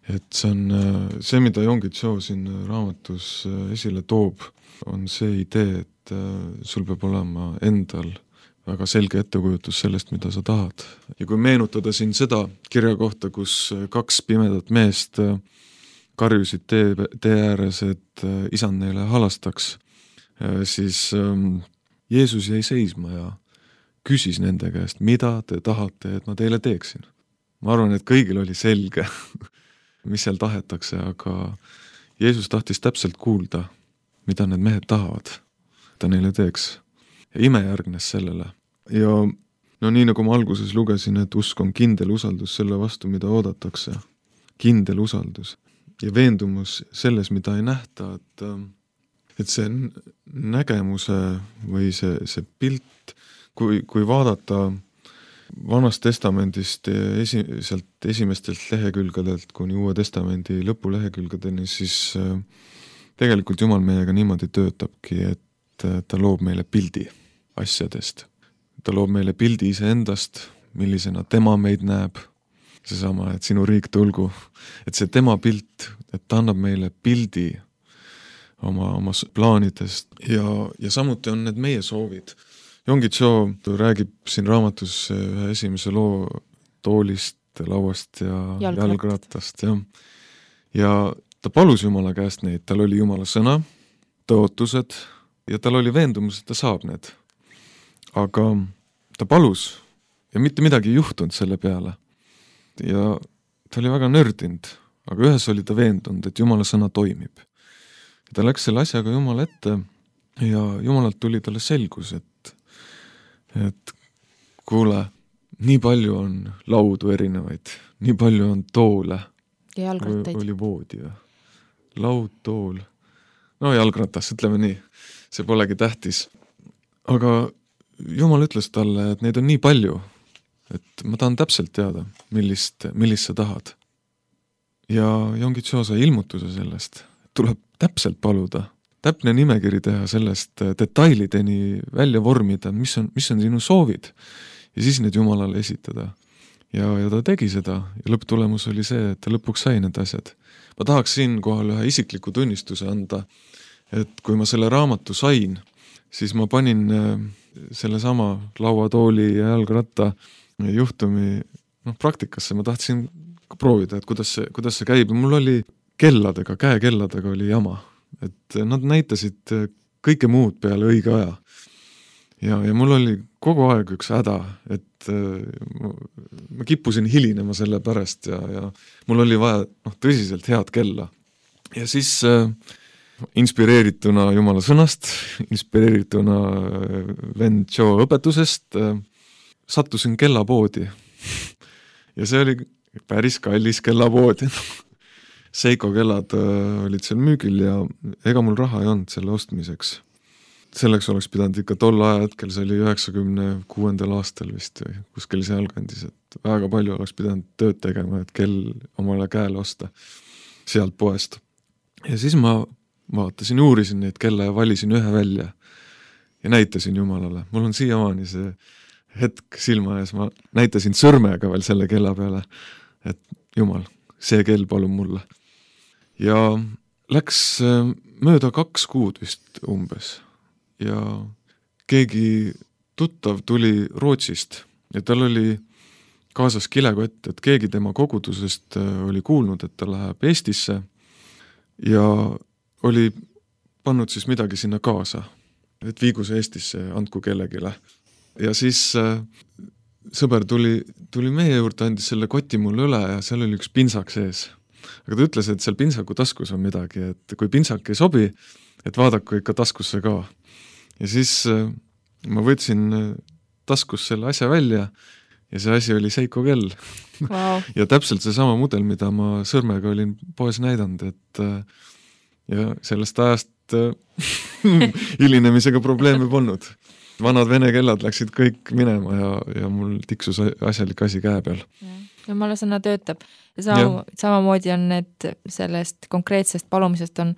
Et see on see, mida Yonggi Cho siin raamatus esile toob, on see idee, et sul peab olema endal väga selge ettekujutus sellest, mida sa tahad. Ja kui meenutada siin seda kirja kohta, kus 2 pimedat meest karjusid tee ääres, et isand neile halastaks, siis Jeesus jäi seisma ja küsis nende käest, mida te tahate, et ma teile teeksin. Ma arvan, et kõigil oli selge, mis seal tahetakse, aga Jeesus tahtis täpselt kuulda, mida need mehed tahavad, ta neile teeks. Ja ime järgnes sellele. Ja nii nagu ma alguses lugesin, et usk on kindel usaldus selle vastu, mida oodatakse. Kindel usaldus. Ja veendumus selles, mida ei nähta, et see nägemuse või see pilt, kui vaadata Vanast testamendist sealt esimestelt lehekülgedelt kuni Uue testamendi lõpulehekülgedeni, siis tegelikult Jumal meiega niimoodi töötabki, et ta loob meile pildi asjadest. Ta loob meile pildi iseendast, millisena tema meid näeb, seesama, et sinu riik tulgu, et see tema pilt, et ta annab meile pildi oma plaanidest ja samuti on need meie soovid. Yonggi Cho räägib siin raamatus ühe esimese loo toolist, lauast ja jalgrattast. Ja ta palus Jumala käest neid, tal oli Jumala sõna, tõotused ja tal oli veendumus, et ta saab need. Aga ta palus ja mitte midagi ei juhtunud selle peale. Ja ta oli väga nördinud, aga ühes oli ta veendunud, et Jumala sõna toimib. Ja ta läks selle asjaga Jumala ette ja Jumalalt tuli talle selgus, et kuule, nii palju on laudu erinevaid, nii palju on toole. Ja jalgrattaid. Oli voodi või? Laud, tool. No jalgratas, ütleme nii. See polegi tähtis. Aga Jumal ütles talle, et neid on nii palju, et ma tahan täpselt teada, millist sa tahad. Ja Yonggi Cho sai ilmutuse sellest. Tuleb täpselt paluda. Täpne nimekiri teha sellest detailideni välja vormida, mis on sinu soovid ja siis need Jumalale esitada. Ja ta tegi seda ja lõpptulemus oli see, et ta lõpuks sai need asjad. Ma tahaks siin kohal ühe isikliku tunnistuse anda, et kui ma selle raamatu sain, siis ma panin selle sama lauatooli ja jalgratta juhtumi praktikasse. Ma tahtsin proovida, et kuidas see käib. Mul oli käekelladega oli jama. Et nad näitasid kõike muud peale õige aja. Ja mul oli kogu aeg üks häda, et ma kippusin hilinema selle pärast ja mul oli vaja tõsiselt head kella. Ja siis inspireerituna Jumala sõnast, inspireerituna vend Cho õpetusest, sattusin kellapoodi. Ja see oli päris kallis kellapoodi. Seiko kellad olid seal müügil ja ega mul raha ei olnud selle ostmiseks. selleks oleks pidanud ikka tol ajahetkel, see oli 96. aastal vist või kuskil sealkandis, et väga palju oleks pidanud tööd tegema, et kell omale käele osta sealt poest. Ja siis ma vaatasin, uurisin neid kella ja valisin ühe välja ja näitasin Jumalale. Mul on siiamaani see hetk silma ees, ma näitasin sõrmega veel selle kella peale, et Jumal, see kell palun mulle. Ja läks mööda 2 kuud vist umbes ja keegi tuttav tuli Rootsist ja tal oli kaasas kilekott, et keegi tema kogudusest oli kuulnud, et ta läheb Eestisse ja oli pannud siis midagi sinna kaasa, et viigu see Eestisse, andku kellegile. Ja siis sõber tuli meie juurde, andis selle koti mulle üle ja seal oli üks pintsak sees. Aga ta ütles, et seal pintsaku taskus on midagi, et kui pintsak ei sobi, et vaadaku ikka taskusse ka. Ja siis ma võtsin taskus selle asja välja ja see asi oli Seiko kell. Wow. Ja täpselt see sama mudel, mida ma sõrmega olin poes näidanud, et ja sellest ajast hilinemisega probleeme polnud. Vanad vene kellad läksid kõik minema ja mul tiksus asjalik asi käe peal. Jumala sõna töötab. Ja samamoodi on need sellest konkreetsest palumisest on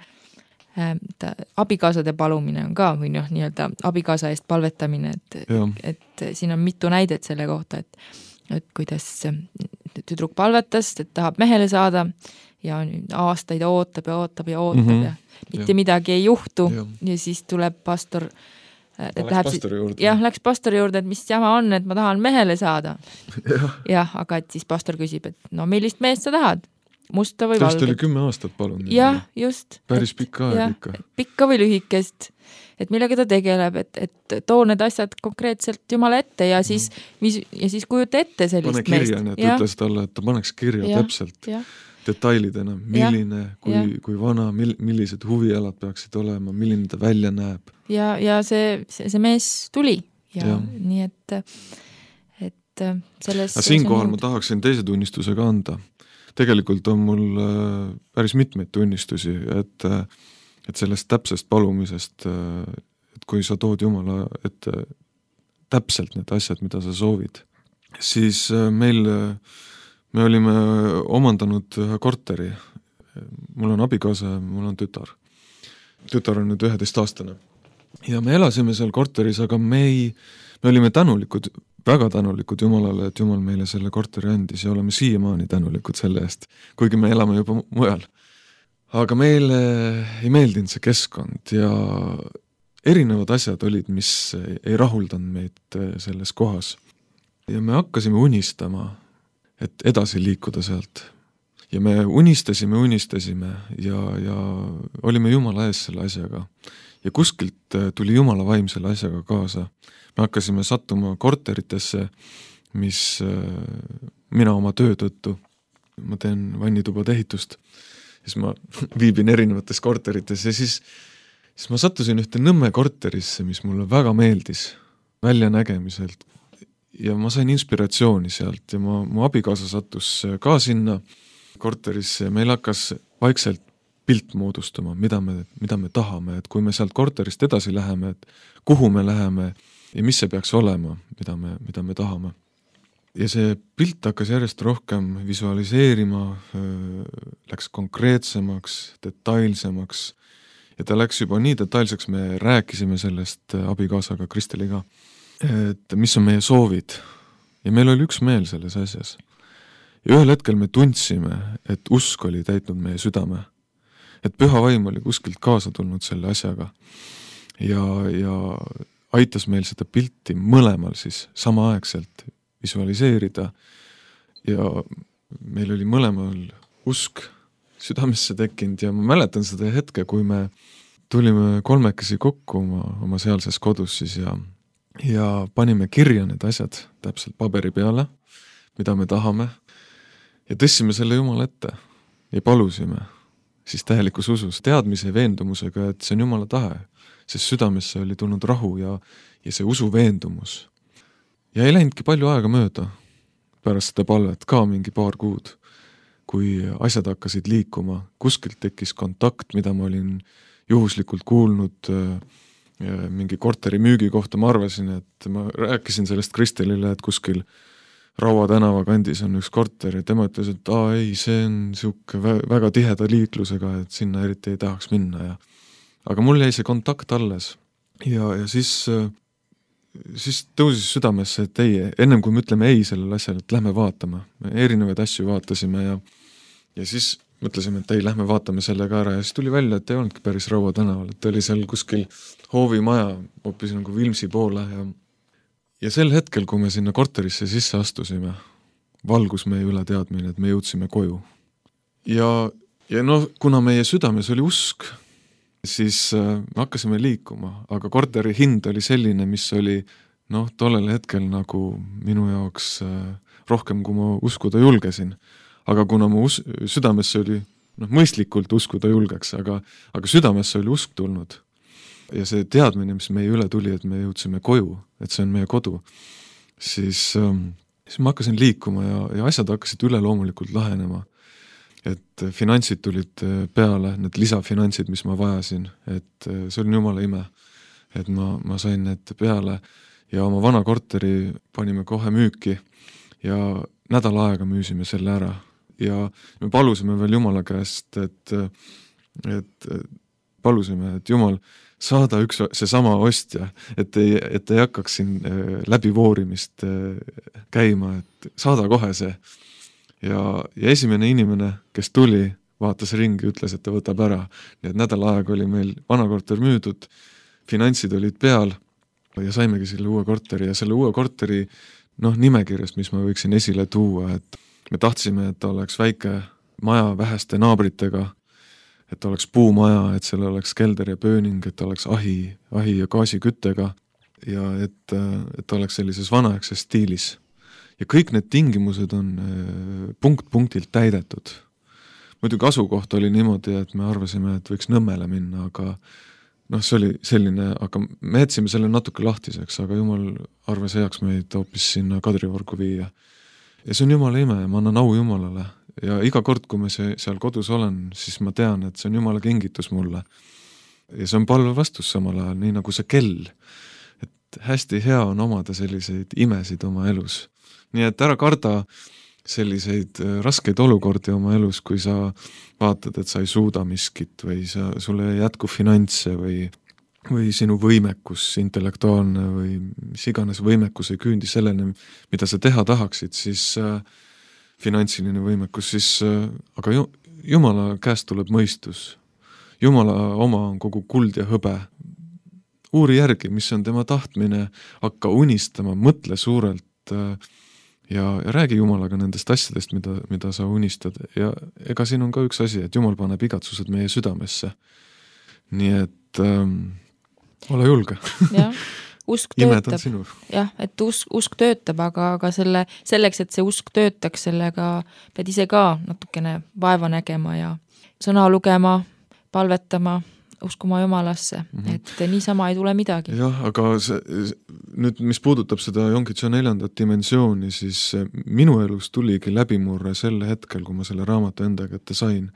abikaasade palumine on ka või nii-öelda abikaasa eest palvetamine, et siin on mitu näidet selle kohta, et kuidas tüdruk palvetas, et tahab mehele saada ja aastaid ootab ja mitte midagi ei juhtu ja siis tuleb pastor läks pastori juurde, et mis jama on, et ma tahan mehele saada. Jah, aga et siis pastor küsib, et no millist meest sa tahad? Musta või valget? Täst oli 10 aastat palun. Jah, just. Päris pikka aeg ikka. Pikka või lühikest, et millega ta tegeleb, et too need asjad konkreetselt Jumala ette ja siis kujuta ette sellist meest. Pane kirja, et ütles talle, et ta paneks kirja täpselt detailidena, milline, kui vana, millised huvialad peaksid olema, milline ta välja näeb. Ja see mees tuli ja nii et selles... Siinkohal ma tahaksin teise tunnistuse ka anda. Tegelikult on mul päris mitmeid tunnistusi, et sellest täpsest palumisest, et kui sa tood Jumala ette täpselt need asjad, mida sa soovid, siis me olime omandanud ühe korteri. Mul on abikaasa, mul on tütar. Tütar on nüüd 11-aastane. Ja me elasime seal korteris, aga me olime tänulikud, väga tänulikud Jumalale, et Jumal meile selle korteri andis ja oleme siiamaani tänulikud selle eest, kuigi me elame juba mujal. Aga meile ei meeldinud see keskkond ja erinevad asjad olid, mis ei rahuldanud meid selles kohas. Ja me hakkasime unistama, et edasi liikuda sealt. Ja me unistasime ja olime Jumala ees selle asjaga. Ja kuskilt tuli Jumala vaim selle asjaga kaasa. Me hakkasime sattuma korteritesse, mis mina oma töö tõttu, ma teen vannitubade ehitust, siis ma viibin erinevates korterites ja siis ma sattusin ühte Nõmme korterisse, mis mulle väga meeldis väljanägemiselt ja ma sain inspiratsiooni sealt ja mu abikaasa sattus ka sinna korterisse ja meil hakkas vaikselt pilt moodustama, mida me tahame, et kui me sealt korterist edasi läheme, et kuhu me läheme ja mis see peaks olema, mida me tahame. Ja see pilt hakkas järjest rohkem visualiseerima, läks konkreetsemaks, detailsemaks ja ta läks juba nii detailseks, me rääkisime sellest abikaasaga Kristeliga, et mis on meie soovid ja meil oli üks meel selles asjas. Ja ühel hetkel me tundsime, et usk oli täitnud meie südame, et püha vaim oli kuskilt kaasa tulnud selle asjaga ja aitas meil seda pilti mõlemal siis samaaegselt visualiseerida ja meil oli mõlemal usk südamesse tekkinud ja ma mäletan seda hetke, kui me tulime kolmekesi kokku oma sealses kodus siis ja panime kirja need asjad täpselt paberi peale, mida me tahame ja tõstsime selle Jumala ette ja palusime siis täielikus usus, teadmise ja veendumusega, et see on Jumala tahe, sest südamesse oli tulnud rahu ja see usu veendumus. Ja ei läinudki palju aega mööda pärast seda palvet, ka mingi paar kuud, kui asjad hakkasid liikuma, kuskilt tekkis kontakt, mida ma olin juhuslikult kuulnud mingi korteri müügi kohta, ma arvasin, et ma rääkisin sellest Kristelile, et kuskil Raua tänava kandis on üks korter ja tema ütles, et ei, see on siuke väga tiheda liiklusega, et sinna eriti ei tahaks minna ja aga mul jäi see kontakt alles ja siis tõusis südamesse, et ei, ennem kui me ütleme ei sellele asjale, et lähme vaatame, me erinevaid asju vaatasime ja siis mõtlesime, et ei, lähme vaatame selle ka ära ja siis tuli välja, et ei olnudki päris Raua tänaval, et oli seal kuskil hoovimaja hoopis nagu Vilmsi poole ja sel hetkel, kui me sinna korterisse sisse astusime, valgus meie üle teadmine, et me jõudsime koju. Ja kuna meie südames oli usk, siis me hakkasime liikuma, aga korteri hind oli selline, mis oli tollel hetkel nagu minu jaoks rohkem, kui ma uskuda julgesin. Aga kuna mu südamesse oli, mõistlikult uskuda julgeks, aga südamesse oli usk tulnud. Ja see teadmine, mis meie üle tuli, et me jõudsime koju, et see on meie kodu, siis ma hakkasin liikuma ja asjad hakkasid üleloomulikult lahenema. Et finantsid tulid peale, need lisafinantsid, mis ma vajasin, et see oli jumala ime, et ma sain need peale ja oma vana korteri panime kohe müüki ja nädal aega müüsime selle ära ja me palusime veel Jumala käest, et palusime, et Jumal saada seesama ostja, et ei hakkaks siin läbivoorimist käima, et saada kohe see. Ja esimene inimene, kes tuli, vaatas ringi, ütles, et ta võtab ära. Nii et nädal aega oli meil vana korter müüdud, finantsid olid peal ja saimegi selle uue korteri ja selle uue korteri nimekirjast, mis ma võiksin esile tuua, et me tahtsime, et ta oleks väike maja väheste naabritega, et oleks puumaja, et seal oleks kelder ja pööning, et oleks ahi ja gaasiküttega ja et oleks sellises vanaaegses stiilis. Ja kõik need tingimused on punkt-punktilt täidetud. Muidugi asukoht oli niimoodi, et me arvasime, et võiks Nõmmele minna, aga see oli selline, aga me jätsime selle natuke lahtiseks, aga Jumal arvas heaks meid hoopis sinna Kadriorgu viia. Ja see on Jumala ime ja ma annan au Jumalale. Ja iga kord, kui ma seal kodus olen, siis ma tean, et see on Jumala kingitus mulle. Ja see on palve vastus samal ajal, nii nagu see kell. Et hästi hea on omada selliseid imesid oma elus. Nii et ära karda selliseid raskeid olukordi oma elus, kui sa vaatad, et sa ei suuda miskit või sulle ei jätku finantse või sinu võimekus intellektuaalne või mis iganes võimekus ei küündi selleni, mida sa teha tahaksid, siis finantsiline võimekus, siis aga Jumala käest tuleb mõistus. Jumala oma on kogu kuld ja hõbe. Uuri järgi, mis on tema tahtmine, hakka unistama, mõtle suurelt ja räägi Jumalaga nendest asjadest, mida sa unistad. Ja ega siin on ka üks asi, et Jumal paneb igatsused meie südamesse. Nii et ole julge. Jah, usk töötab. Jah, et usk töötab, aga selleks, et see usk töötaks, sellega pead ise ka natukene vaeva nägema ja sõna lugema, palvetama, uskuma Jumalasse, et niisama ei tule midagi. Jah, aga nüüd, mis puudutab seda Jonkitso 4. dimensiooni, siis minu elus tuligi läbimurre selle hetkel, kui ma selle raamatu enda kätte sain.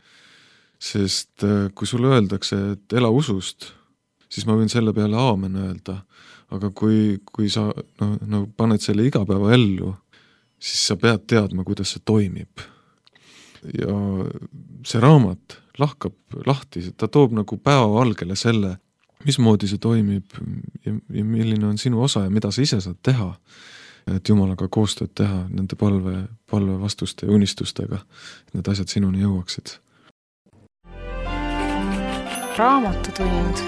Sest kui sulle öeldakse, et ela usust, siis ma võin selle peale aamen öelda. Aga kui sa paned selle igapäeva ellu, siis sa pead teadma, kuidas see toimib. Ja see raamat lahkab lahti, ta toob nagu päevavalgele selle, mismoodi see toimib ja milline on sinu osa ja mida sa ise saad teha, et Jumalaga koostööd teha nende palve vastuste ja unistustega, et need asjad sinuni jõuaksid. Raamatutund.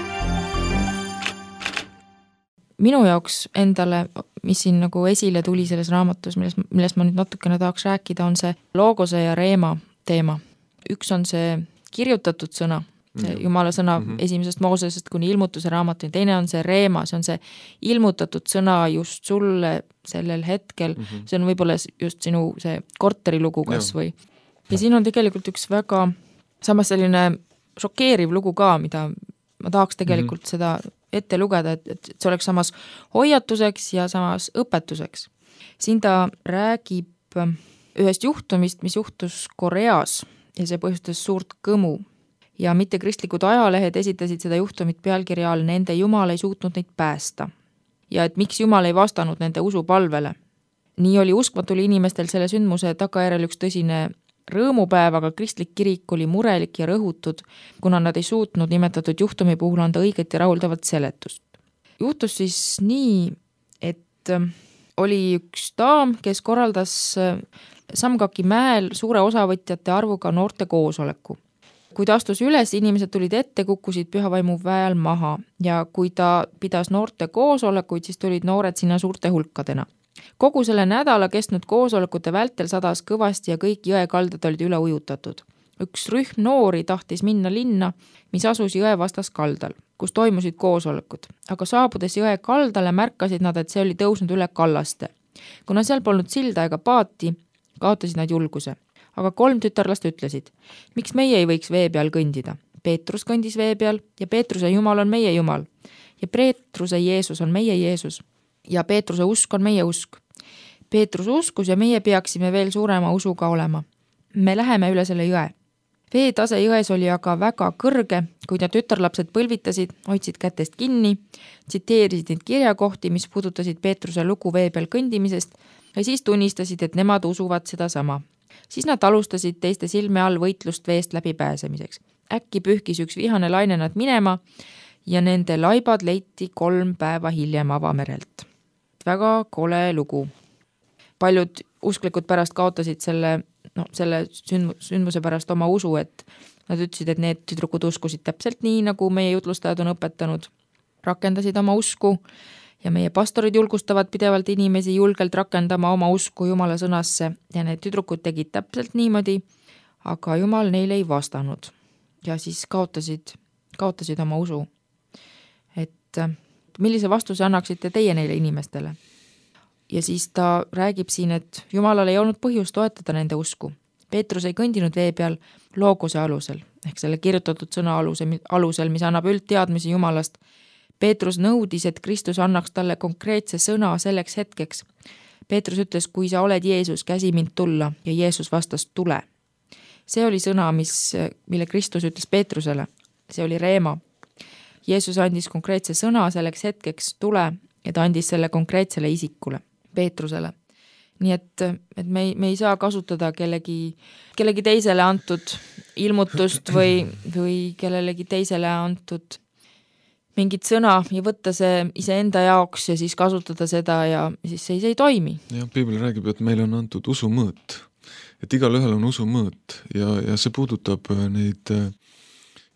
Minu jaoks endale, mis siin nagu esile tuli selles raamatus, millest ma nüüd natukene tahaks rääkida, on see loogose ja reema teema. Üks on see kirjutatud sõna, see Jumala sõna esimesest Moosesest kuni ilmutuse raamatuni, teine on see reema, see on see ilmutatud sõna just sulle sellel hetkel, see on võib-olla just sinu see korterilugu kas või. Ja siin on tegelikult üks väga samas selline šokeeriv lugu ka, mida ma tahaks tegelikult seda ette lugeda, et see oleks samas hoiatuseks ja samas õpetuseks. Siin ta räägib ühest juhtumist, mis juhtus Koreas ja see põhjustas suurt kõmu. ja mittekristlikud ajalehed esitasid seda juhtumit pealkirja all "Nende Jumal ei suutnud neid päästa" ja et miks Jumal ei vastanud nende usupalvele. Nii oli uskmatul inimestel selle sündmuse tagajärjel üks tõsine rõõmupäev, aga kristlik kirik oli murelik ja rõhutud, kuna nad ei suutnud nimetatud juhtumi puhul anda õiget ja rahuldavat seletust. Juhtus siis nii, et oli üks daam, kes korraldas Samgaki mäel suure osavõtjate arvuga noorte koosoleku. Kui ta astus üles, inimesed tulid ette, kukkusid pühavaimu väel maha ja kui ta pidas noorte koosolekuid, siis tulid noored sinna suurte hulkadena. Kogu selle nädala kestnud koosolekute vältel sadas kõvasti ja kõik jõekaldad olid üle ujutatud. Üks rühm noori tahtis minna linna, mis asus jõe vastas kaldal, kus toimusid koosolekud, aga saabudes jõe kaldale märkasid nad, et see oli tõusnud üle kallaste. Kuna seal polnud silda ega paati, kaotasid nad julguse. Aga 3 tütarlast ütlesid, miks meie ei võiks vee peal kõndida. Peetrus kõndis vee peal ja Peetruse Jumal on meie Jumal ja Peetruse Jeesus on meie Jeesus ja Peetruse usk on meie usk. Peetrus uskus ja meie peaksime veel suurema usuga olema. Me läheme üle selle jõe. Veetase jões oli aga väga kõrge, kui need tütarlapsed põlvitasid, hoidsid kätest kinni, tsiteerisid neid kirjakohti, mis puudutasid Peetruse lugu vee peal kõndimisest ja siis tunnistasid, et nemad usuvad seda sama. Siis nad alustasid teiste silme all võitlust veest läbi pääsemiseks. Äkki pühkis üks vihane laine nad minema ja nende laibad leiti 3 päeva hiljem avamerelt. Väga kole lugu. Paljud usklikud pärast kaotasid selle sündmuse pärast oma usu, et nad ütlesid, et need tüdrukud uskusid täpselt nii, nagu meie jutlustajad on õpetanud, rakendasid oma usku ja meie pastorid julgustavad pidevalt inimesi julgelt rakendama oma usku Jumala sõnasse ja need tüdrukud tegid täpselt niimoodi, aga Jumal neile ei vastanud ja siis kaotasid oma usu. Et millise vastuse annaksite teie neile inimestele? Ja siis ta räägib siin, et Jumalal ei olnud põhjust toetada nende usku. Peetrus ei kõndinud vee peal loogose alusel, ehk selle kirjutatud sõna alusel, mis annab üldteadmisi Jumalast. Peetrus nõudis, et Kristus annaks talle konkreetse sõna selleks hetkeks. Peetrus ütles, kui sa oled Jeesus, käsi mind tulla ja Jeesus vastas, tule. See oli sõna, mille Kristus ütles Peetrusele. See oli reema. Jeesus andis konkreetse sõna selleks hetkeks, tule, ja ta andis selle konkreetsele isikule, Peetrusele. Nii et me ei saa kasutada kellegi teisele antud ilmutust või kellelegi teisele antud mingit sõna ja võtta see iseenda jaoks ja siis kasutada seda ja siis see ei toimi. Ja Piibel räägib, et meile on antud usumõõt, et igalühel on usumõõt ja see puudutab neid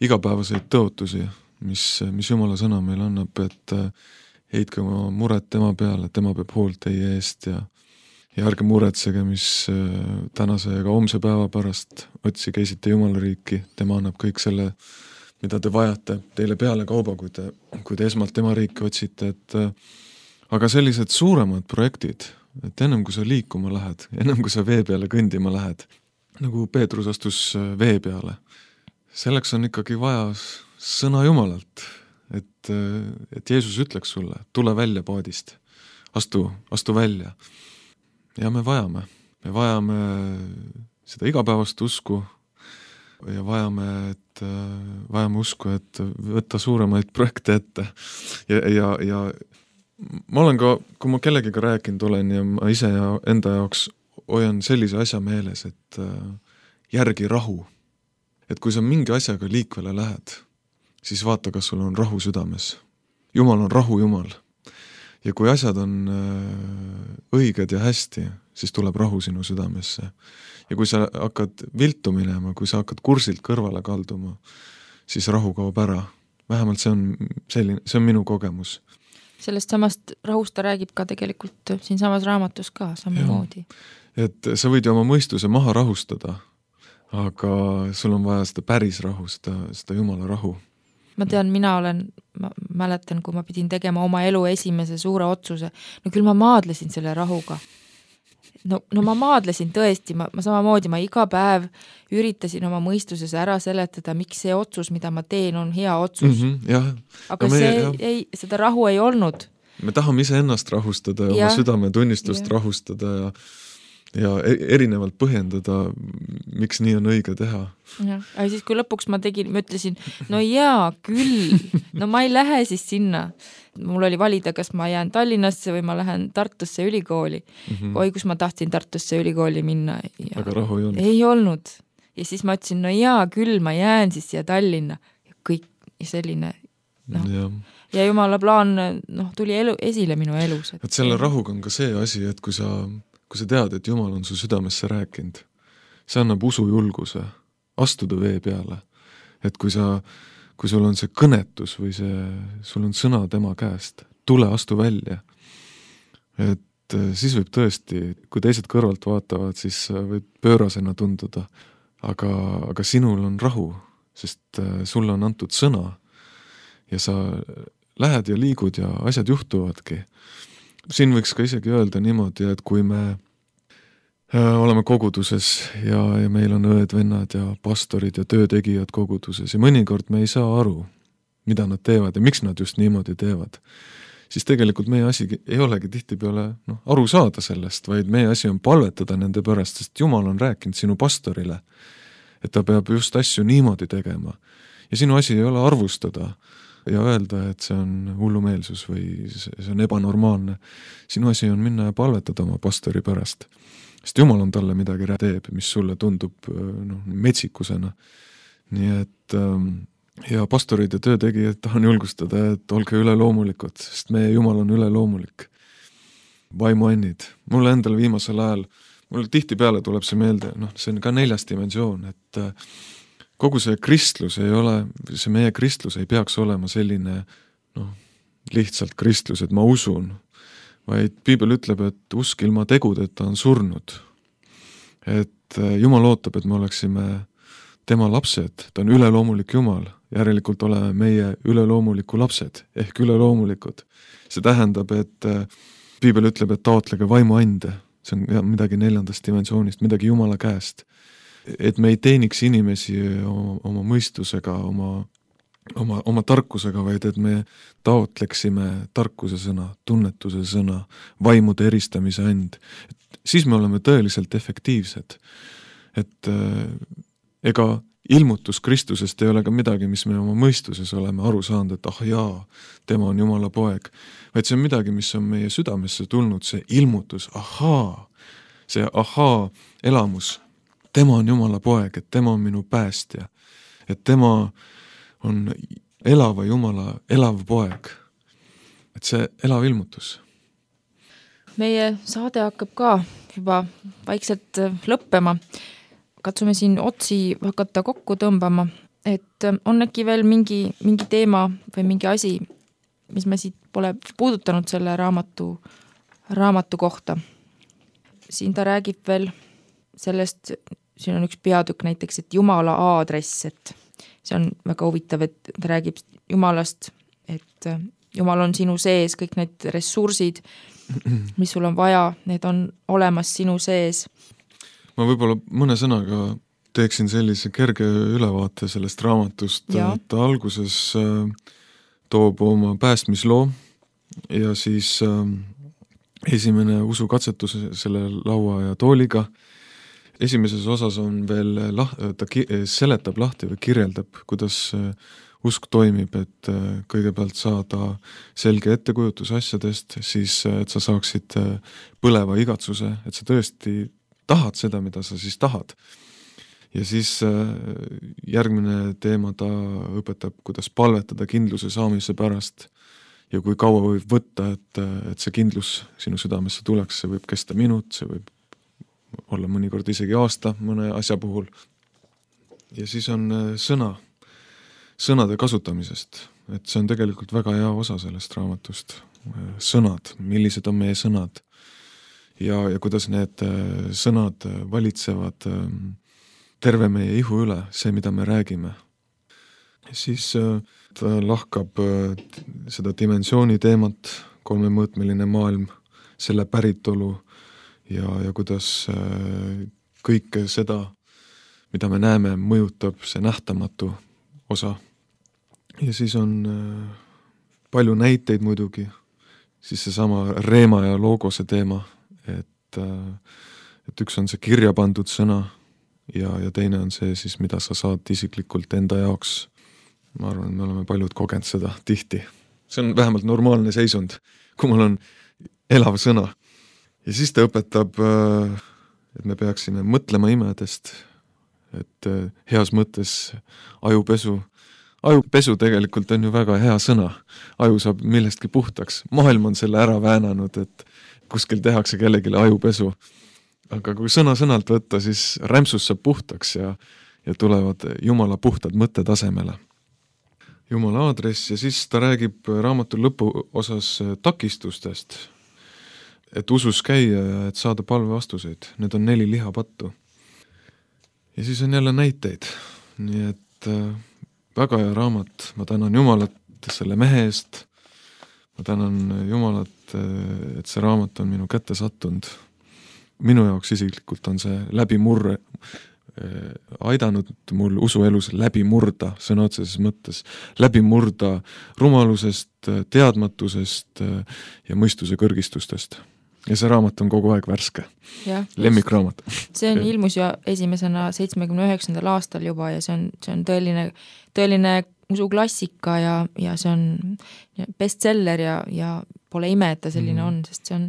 igapäevaseid tõotusi, mis Jumala sõna meile annab, et heitke oma muret tema peale, tema peab hoolt teie eest ja ärge muretsege, mis tänase ja ka homse päeva pärast otsige esite Jumala riiki, tema annab kõik selle, mida te vajate teile peale kauba, kui te esmalt tema riiki otsite, aga sellised suuremad projektid, et ennem kui sa liikuma lähed, ennem kui sa vee peale kõndima lähed, nagu Peetrus astus vee peale, selleks on ikkagi vaja sõna Jumalalt, et Jeesus ütleks sulle, tule välja paadist, astu välja. Ja me vajame seda igapäevast usku ja vajame usku, et võtta suuremaid projekte ette ja ma olen ka, kui ma kellegiga rääkinud olen ja ma ise ja enda jaoks hoian sellise asja meeles, et järgi rahu. Et kui sa mingi asjaga liikvele lähed, siis vaata, kas sul on rahu südames. Jumal on rahu Jumal. Ja kui asjad on õiged ja hästi, siis tuleb rahu sinu südamesse. Ja kui sa hakkad viltu minema, kui sa hakkad kursilt kõrvale kalduma, siis rahu kaob ära. Vähemalt see on minu kogemus. Sellest samast rahust ta räägib ka tegelikult siin samas raamatus ka samamoodi. Et sa võid ju oma mõistuse maha rahustada, aga sul on vaja seda päris rahu, seda Jumala rahu. Ma tean, ma mäletan, kui ma pidin tegema oma elu esimese suure otsuse. No küll ma maadlesin selle rahuga. No ma maadlesin tõesti, ma samamoodi, ma iga päev üritasin oma mõistuses ära seletada, miks see otsus, mida ma teen, on hea otsus. Aga seda rahu ei olnud. Me tahame ise ennast rahustada ja oma südametunnistust rahustada ja erinevalt põhjendada, miks nii on õige teha. Aga siis, kui lõpuks ma ütlesin, no jaa, küll, no ma ei lähe siis sinna. Mul oli valida, kas ma jään Tallinnasse või ma lähen Tartusse ülikooli. Oi, kus ma tahtsin Tartusse ülikooli minna. Aga rahu ei olnud. Ei olnud. Ja siis ma ütlesin, no jaa, küll, ma jään siis siia Tallinna. Ja kõik selline, ja jumala plaan tuli esile minu elus. Et selle rahuga on ka see asi, et kui sa tead, et Jumal on su südamesse rääkinud, see annab usujulguse astuda vee peale. Et kui sul on see kõnetus või sul on sõna tema käest, tule, astu välja. Et siis võib tõesti, kui teised kõrvalt vaatavad, siis võib pöörasena tunduda, aga sinul on rahu, sest sulle on antud sõna ja sa lähed ja liigud ja asjad juhtuvadki. Siin võiks ka isegi öelda niimoodi, et kui me oleme koguduses ja meil on õed, vennad ja pastorid ja töötegijad koguduses ja mõnikord me ei saa aru, mida nad teevad ja miks nad just niimoodi teevad, siis tegelikult meie asi ei olegi tihtipeale aru saada sellest, vaid meie asi on palvetada nende pärast, sest Jumal on rääkinud sinu pastorile, et ta peab just asju niimoodi tegema. Ja sinu asi ei ole arvustada ja öelda, et see on hullumeelsus või see on ebanormaalne. Sinu asi on minna ja palvetada oma pastori pärast. Sest Jumal on talle midagi teeb, mis sulle tundub metsikusena. Nii et ja pastorid ja töötegijad tahan julgustada, et olge üleloomulikud, sest meie Jumal on üleloomulik. Vaimuannid. Mulle endal viimasel ajal, mulle tihtipeale tuleb see meelde, see on ka 4. dimensioon, et kogu see kristlus ei ole, see meie kristlus ei peaks olema selline lihtsalt kristlus, et ma usun, vaid Piibel ütleb, et usk ilma tegudeta on surnud. Et Jumal ootab, et me oleksime tema lapsed, ta on üleloomulik Jumal, järelikult oleme meie üleloomuliku lapsed, ehk üleloomulikud. See tähendab, et Piibel ütleb, et taotlege vaimuande, see on midagi 4. dimensioonist, midagi Jumala käest. Et me ei teeniks inimesi oma mõistusega, oma tarkusega, vaid et me taotleksime tarkuse sõna, tunnetuse sõna, vaimude eristamise and. Siis me oleme tõeliselt efektiivsed. Et ega ilmutus Kristusest ei ole ka midagi, mis me oma mõistuses oleme aru saanud, et jaa, tema on Jumala poeg. Vaid see on midagi, mis on meie südamesse tulnud, see ilmutus, see elamus. Tema on Jumala poeg, et tema on minu päästja, et tema on elava Jumala elav poeg. Et see elav ilmutus. Meie saade hakkab ka juba vaikselt lõppema. Katsume siin otsi hakata kokku tõmbama, et on äkki veel mingi teema või mingi asi, mis me siit pole puudutanud selle raamatu kohta. Siin ta räägib veel sellest, siin on üks peatükk näiteks, et Jumala aadress, et see on väga huvitav, et ta räägib Jumalast, et Jumal on sinu sees, kõik need ressursid, mis sul on vaja, need on olemas sinu sees. Ma võib-olla mõne sõnaga teeksin sellise kerge ülevaate sellest raamatust, et alguses toob oma päästmisloo ja siis esimene usukatsetus selle laua ja tooliga. Esimeses osas on veel, ta seletab lahti või kirjeldab, kuidas usk toimib, et kõigepealt saada selge ettekujutus asjadest, siis et sa saaksid põleva igatsuse, et sa tõesti tahad seda, mida sa siis tahad. Ja siis järgmine teema ta õpetab, kuidas palvetada kindluse saamise pärast ja kui kaua võib võtta, et see kindlus sinu südamesse tuleks, see võib kesta minut, see võib olla mõnikord isegi aasta mõne asja puhul. Ja siis on sõnade kasutamisest, et see on tegelikult väga hea osa sellest raamatust. Sõnad, millised on meie sõnad ja kuidas need sõnad valitsevad terve meie ihu üle, see, mida me räägime. Siis ta lahkab seda dimensiooni teemat, 3-mõõtmeline maailm, selle päritolu ja kuidas kõike seda, mida me näeme, mõjutab see nähtamatu osa. Ja siis on palju näiteid muidugi, siis seesama Reema ja Logose teema, et üks on see kirja pandud sõna ja teine on see siis, mida sa saad isiklikult enda jaoks. Ma arvan, et me oleme paljud kogenud seda tihti. See on vähemalt normaalne seisund, kui mul on elav sõna. Ja siis ta õpetab, et me peaksime mõtlema imedest, et heas mõttes ajupesu. Ajupesu tegelikult on ju väga hea sõna. Aju saab millestki puhtaks. Maailm on selle ära väänanud, et kuskil tehakse kellegile ajupesu. Aga kui sõna-sõnalt võtta, siis rämpsus saab puhtaks ja tulevad Jumala puhtad mõttetasemele. Jumala aadress ja siis ta räägib raamatu lõpu osas takistustest, et usus käia ja et saada palvevastuseid. Need on 4 lihapattu. Ja siis on jälle näiteid. Nii et väga hea raamat. Ma tänan Jumalat selle mehe eest. Ma tänan Jumalat, et see raamat on minu kätte sattunud. Minu jaoks isiklikult on see läbimurre aidanud mul usuelus läbi murda, sõna otseses mõttes, läbi murda rumalusest, teadmatusest ja mõistuse kõrgistustest. Ja see raamat on kogu aeg värske. Lemmikraamat. See on ilmus ju esimesena 79. aastal juba ja see on tõeline usuklassika ja see on bestseller ja pole ime, et ta selline on, sest see on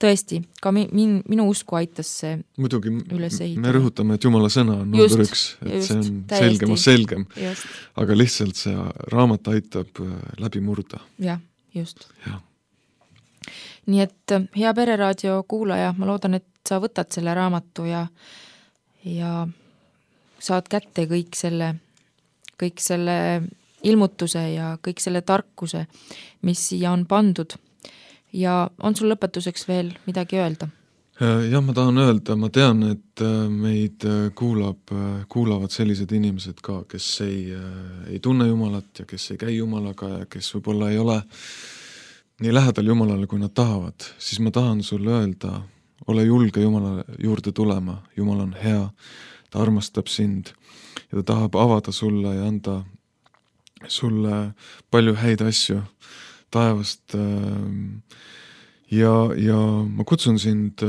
tõesti, ka minu usku aitas see muidugi üles ehitada. Me rõhutame, et Jumala sõna on number 1, et see on selgem. Aga lihtsalt see raamat aitab läbi murda. Jah, just. Ja. Nii et hea Pereraadio kuulaja, ma loodan, et sa võtad selle raamatu ja saad kätte kõik selle ilmutuse ja kõik selle tarkuse, mis siia on pandud. Ja on sul lõpetuseks veel midagi öelda? Jah, ma tahan öelda, ma tean, et meid kuulavad sellised inimesed ka, kes ei tunne Jumalat ja kes ei käi Jumalaga ja kes võib-olla ei ole nii lähedal Jumalale, kui nad tahavad, siis ma tahan sulle öelda, ole julge Jumala juurde tulema. Jumal on hea, ta armastab sind ja ta tahab avada sulle ja anda sulle palju häid asju taevast ja ma kutsun sind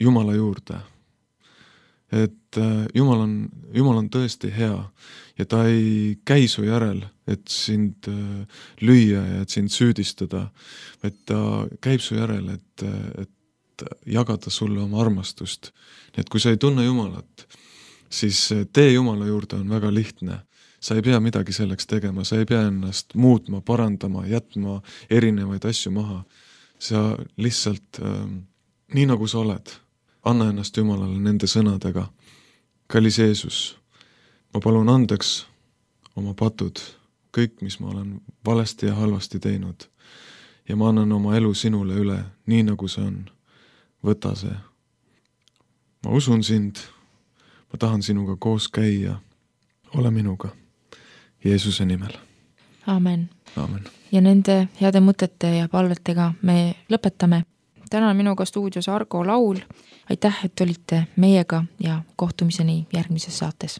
Jumala juurde. Et Jumal on tõesti hea ja ta ei käi su järel, et sind lüüa ja et sind süüdistada, vaid ta käib su järel, et jagada sulle oma armastust. Nii et kui sa ei tunne Jumalat, siis tee Jumala juurde on väga lihtne. Sa ei pea midagi selleks tegema, sa ei pea ennast muutma, parandama, jätma erinevaid asju maha. Sa lihtsalt, nii nagu sa oled, anna ennast Jumalale nende sõnadega. Kallis Jeesus, ma palun andeks oma patud, kõik, mis ma olen valesti ja halvasti teinud. Ja ma annan oma elu sinule üle, nii nagu see on. Võta see. Ma usun sind, ma tahan sinuga koos käia. Ole minuga. Jeesuse nimel. Aamen. Aamen. Ja nende heade mõtete ja palvetega me lõpetame. Täna on minuga stuudios Argo Laul. Aitäh, et olite meiega ja kohtumiseni järgmises saates.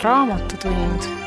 Raamatutund.